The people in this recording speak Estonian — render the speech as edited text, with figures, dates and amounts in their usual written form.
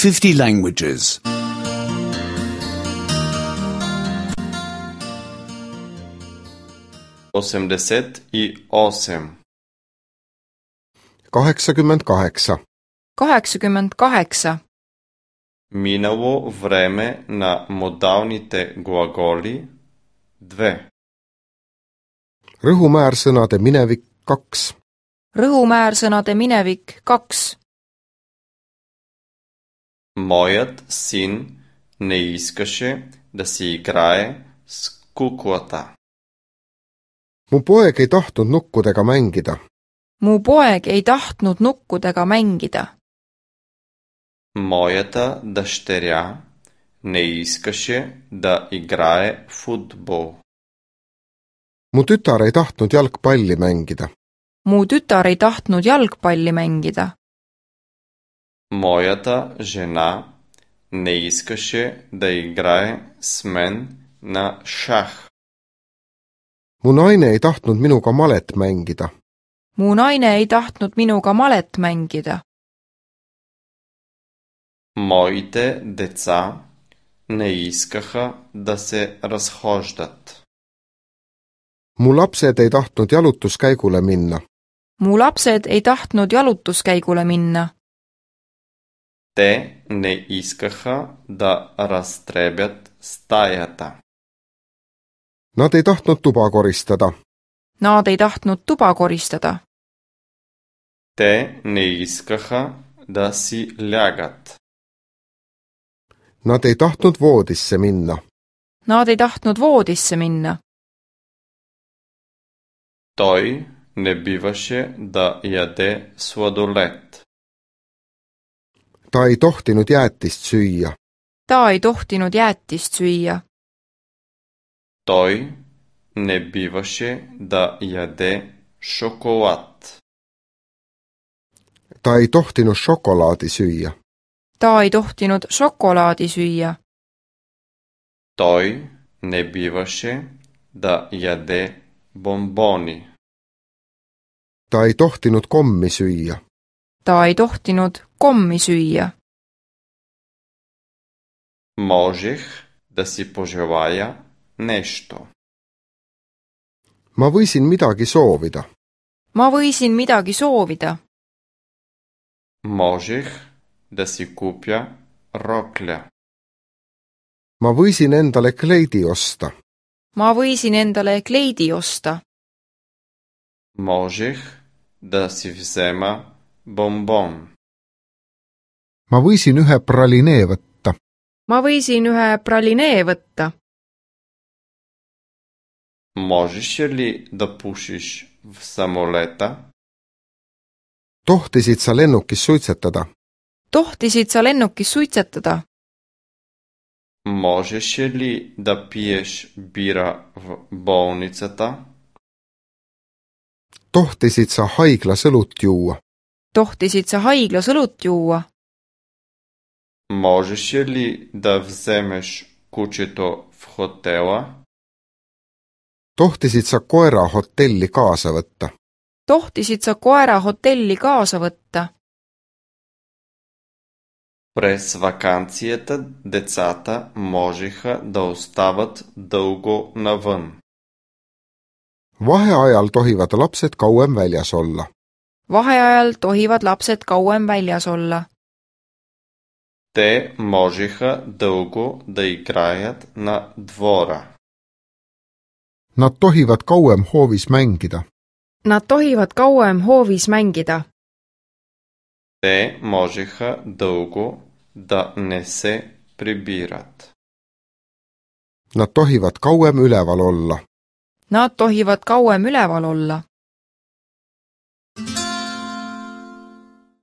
50 languages. 88. 88. 88. Минало време на модалните глаголи 2. Rõhumäärsõnade minevik 2. Rõhumäärsõnade minevik 2. Моят син не искаше да си играе с куклата. Mu poeg ei tahtnud nukkudega mängida. Mu poeg ei tahtnud nukkudega mängida. Моята дъщеря не искаше да играе футбол. Mu tütar ei tahtnud jalgpalli mängida. Mu tütar ei tahtnud jalgpalli mängida. Моята жена не искаше да играе с мен на шах. Mu naine ei tahtnud minuga malet mängida. Mu naine ei tahtnud minuga malet mängida. Моите деца не искаха да се разхождат. Mu lapsed ei tahtnud jalutuskäigule minna. Mu lapsed ei tahtnud jalutuskäigule minna. Те не искаха да разтребят стаята. Nad ei tahtnud tuba koristada. Nad ei tahtnud tuba koristada. Те не искаха да си лягат. Nad ei tahtnud voodisse minna. Nad ei tahtnud voodisse minna. Той не биваше да яде сладолед. Ta ei tohtinud jäätist süüa. Ta ei tohtinud jäätist süüa. Той не биваше да яде шоколад. Ta ei tohtinud šokolaadi süüa. Ta ei tohtinud šokolaadi süüa. Той не биваше да яде бомбони. Ta ei tohtinud kommi süüa. Ta ei tohtinud kommi süüa. Можех да си пожелая нещо. Ma võisin midagi soovida. Ma võisin midagi soovida. Можех да си купя рокля. Ma võisin endale kleidi osta. Ma võisin endale kleidi osta. Можех да си взема бомбон. Ma võisin ühe pralinee võtta. Ma võisin ühe pralinee võtta. Можеш ли да пушиш в самолета? Tohtisid sa lennukis suitsetada? Tohtisid sa lennukis suitsetada? Можеш ли да пиеш бира в болницата? Tohtisid sa haiglas õlut juua? Tohtisid sa haiglas õlut juua? Можеш ли да вземеш кучето в хотела? Tohtisid sa koera hotelli kaasa võtta? Tohtisid sa koera hotelli kaasa võtta? През ваканцията децата можеха да остават дълго навън. Vaheajal tohivad lapsed kauem väljas olla. Vaheajal tohivad lapsed kauem väljas olla. Те можеха дълго да играят на двора. Nad tohivad kauem hoovis mängida. Nad tohivad kauem hoovis mängida. Те можеха дълго да не се прибират. Nad tohivad kauem üleval olla. Nad tohivad kauem üleval olla.